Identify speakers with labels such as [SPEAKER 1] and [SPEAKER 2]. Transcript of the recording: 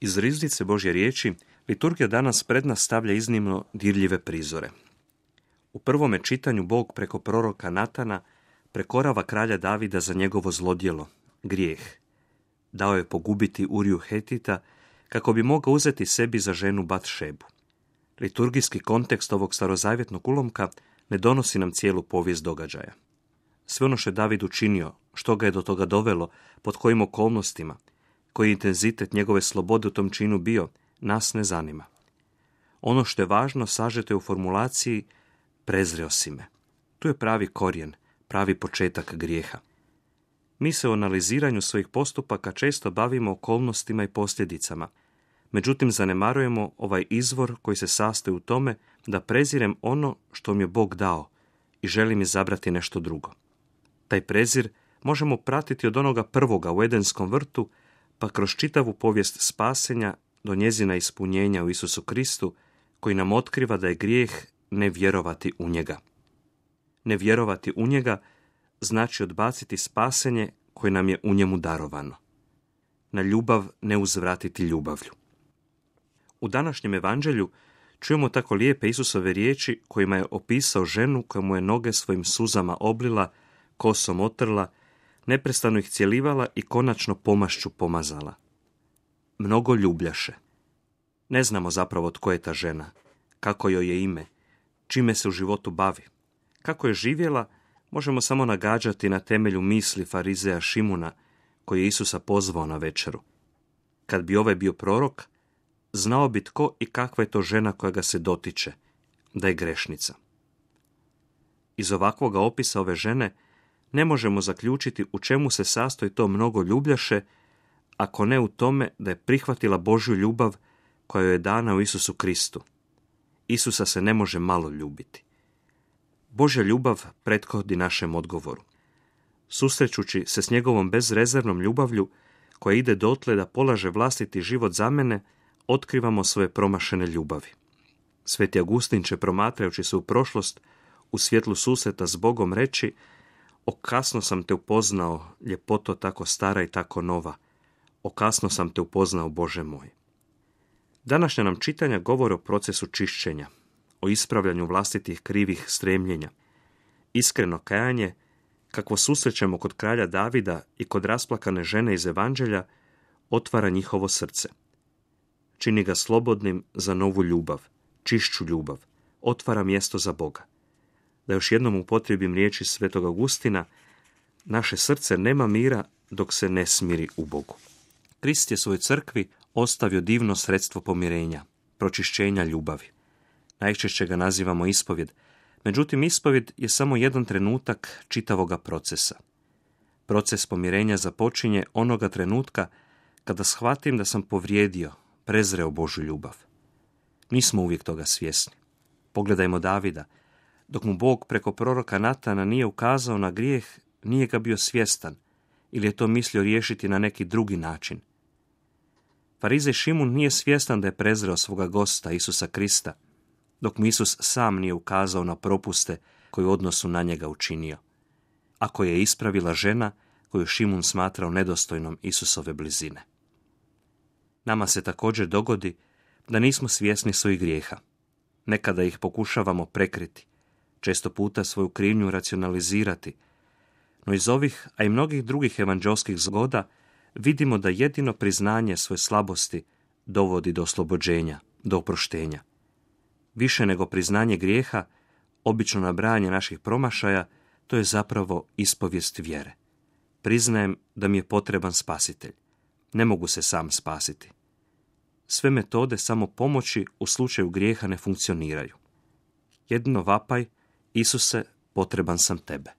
[SPEAKER 1] Iz riznice Božje riječi, liturgija danas pred nas stavlja iznimno dirljive prizore. U prvome čitanju Bog preko proroka Natana prekorava kralja Davida za njegovo zlodjelo, grijeh. Dao je pogubiti Uriju Hetita kako bi mogao uzeti sebi za ženu Batšebu. Liturgijski kontekst ovog starozavjetnog ulomka ne donosi nam cijelu povijest događaja. Sve ono što je David učinio, što ga je do toga dovelo, pod kojim okolnostima, koji intenzitet njegove slobode u tom činu bio, nas ne zanima. Ono što je važno sažeto je u formulaciji prezreo si me. Tu je pravi korijen, pravi početak grijeha. Mi se u analiziranju svojih postupaka često bavimo okolnostima i posljedicama, međutim zanemarujemo ovaj izvor koji se sastoji u tome da prezirem ono što mi je Bog dao i želim izabrati nešto drugo. Taj prezir možemo pratiti od onoga prvoga u Edenskom vrtu, pa kroz čitavu povijest spasenja do njezina ispunjenja u Isusu Kristu, koji nam otkriva da je grijeh ne vjerovati u njega. Ne vjerovati u njega znači odbaciti spasenje koje nam je u njemu darovano. Na ljubav ne uzvratiti ljubavlju. U današnjem evanđelju čujemo tako lijepe Isusove riječi kojima je opisao ženu koja mu je noge svojim suzama oblila, kosom otrla, neprestano ih cjelivala i konačno pomašću pomazala. Mnogo ljubljaše. Ne znamo zapravo tko je ta žena, kako joj je ime, čime se u životu bavi. Kako je živjela, možemo samo nagađati na temelju misli farizeja Šimuna, koji je Isusa pozvao na večeru. Kad bi ovaj bio prorok, znao bi tko i kakva je to žena koja ga se dotiče, da je grešnica. Iz ovakvoga opisa ove žene ne možemo zaključiti u čemu se sastoji to mnogo ljubljaše, ako ne u tome da je prihvatila Božju ljubav koja joj je dana u Isusu Kristu. Isusa se ne može malo ljubiti. Božja ljubav prethodi našem odgovoru. Susrećući se s njegovom bezrezervnom ljubavlju, koja ide dotle da polaže vlastiti život za mene, otkrivamo svoje promašene ljubavi. Sveti Augustin će, promatrajući se u prošlost, u svjetlu susreta s Bogom reći: o kasno sam te upoznao, ljepoto tako stara i tako nova. O kasno sam te upoznao, Bože moj. Današnja nam čitanja govore o procesu čišćenja, o ispravljanju vlastitih krivih stremljenja. Iskreno kajanje, kakvo susrećemo kod kralja Davida i kod rasplakane žene iz Evanđelja, otvara njihovo srce. Čini ga slobodnim za novu ljubav, čišću ljubav, otvara mjesto za Boga. Da još jednom upotrijebim riječi svetog Augustina, naše srce nema mira dok se ne smiri u Bogu. Krist je svojoj crkvi ostavio divno sredstvo pomirenja, pročišćenja ljubavi. Najčešće ga nazivamo ispovjed, međutim ispovjed je samo jedan trenutak čitavoga procesa. Proces pomirenja započinje onoga trenutka kada shvatim da sam povrijedio, prezreo Božju ljubav. Nismo uvijek toga svjesni. Pogledajmo Davida. Dok mu Bog preko proroka Natana nije ukazao na grijeh, nije ga bio svjestan ili je to mislio riješiti na neki drugi način. Farizej Šimun nije svjestan da je prezreo svoga gosta Isusa Krista, dok mu Isus sam nije ukazao na propuste koje u odnosu na njega učinio, a koje je ispravila žena koju Šimun smatrao nedostojnom Isusove blizine. Nama se također dogodi da nismo svjesni svojih grijeha. Nekada ih pokušavamo prekriti, često puta svoju krivnju racionalizirati, no iz ovih, a i mnogih drugih evanđelskih zgoda, vidimo da jedino priznanje svoje slabosti dovodi do oslobođenja, do oproštenja. Više nego priznanje grijeha, obično nabrajanje naših promašaja, to je zapravo ispovijest vjere. Priznajem da mi je potreban spasitelj. Ne mogu se sam spasiti. Sve metode samo pomoći u slučaju grijeha ne funkcioniraju. Jedino vapaj: Isuse, potreban sam tebe.